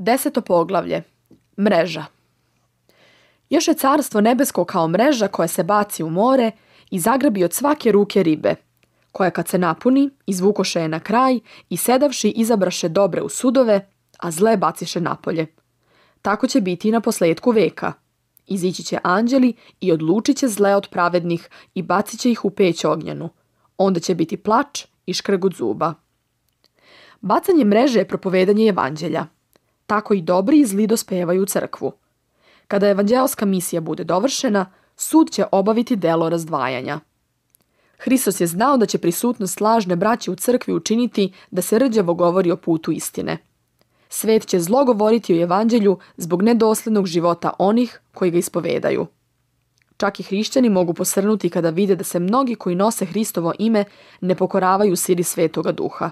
10. poglavlje. Mreža. Još je carstvo nebesko kao mreža koja se baci u more i zagrabi od svake ruke ribe, koja kad se napuni, izvukoše je na kraj i sedavši izabraše dobre u sudove, a zle baciše napolje. Tako će biti i na posledku veka. Izići će anđeli i odlučit će zle od pravednih i bacit će ih u peć ognjenu. Onda će biti plač i škrgut zuba. Bacanje mreže je propovedanje evanđelja. Tako i dobri i zli dospevaju u crkvu. Kada evanđelska misija bude dovršena, sud će obaviti delo razdvajanja. Hristos je znao da će prisutnost lažne braće u crkvi učiniti da se rđavo govori o putu istine. Svet će zlo govoriti o evanđelju zbog nedoslednog života onih koji ga ispovedaju. Čak i hrišćani mogu posrnuti kada vide da se mnogi koji nose Hristovo ime ne pokoravaju sili Svetoga Duha.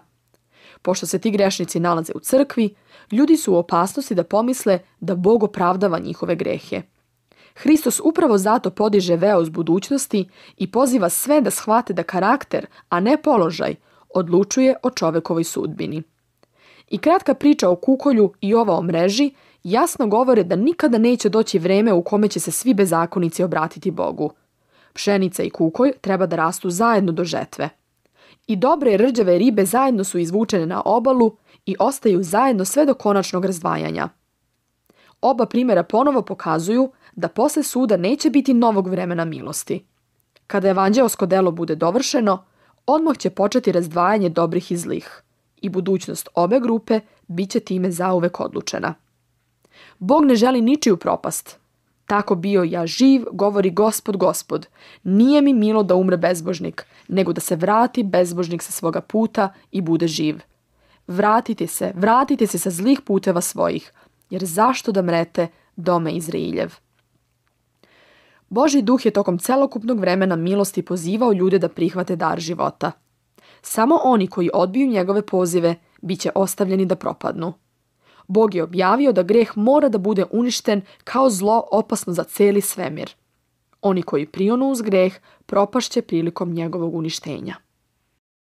Pošto se ti grešnici nalaze u crkvi, ljudi su u opasnosti da pomisle da Bog opravdava njihove grehe. Hristos upravo zato podiže veo z budućnosti i poziva sve da shvate da karakter, a ne položaj, odlučuje o čovekovoj sudbini. I kratka priča o kukolju i ova o mreži jasno govore da nikada neće doći vreme u kome će se svi bezakonici obratiti Bogu. Pšenica i kukolj treba da rastu zajedno do žetve. I dobre i rđave ribe zajedno su izvučene na obalu i ostaju zajedno sve do konačnog razdvajanja. Oba primjera ponovo pokazuju da posle suda neće biti novog vremena milosti. Kada evanđelsko delo bude dovršeno, odmah će početi razdvajanje dobrih i zlih. I budućnost obe grupe bit će time zauvek odlučena. Bog ne želi ničiju propast. Tako bio ja živ, govori Gospod, Gospod. Nije mi milo da umre bezbožnik, nego da se vrati bezbožnik sa svoga puta i bude živ. Vratite se sa zlih puteva svojih, jer zašto da mrete, dome Izrailjev? Božji duh je tokom celokupnog vremena milosti pozivao ljude da prihvate dar života. Samo oni koji odbiju njegove pozive bit će ostavljeni da propadnu. Bog je objavio da greh mora da bude uništen kao zlo opasno za celi svemir. Oni koji prionu uz greh propašće prilikom njegovog uništenja.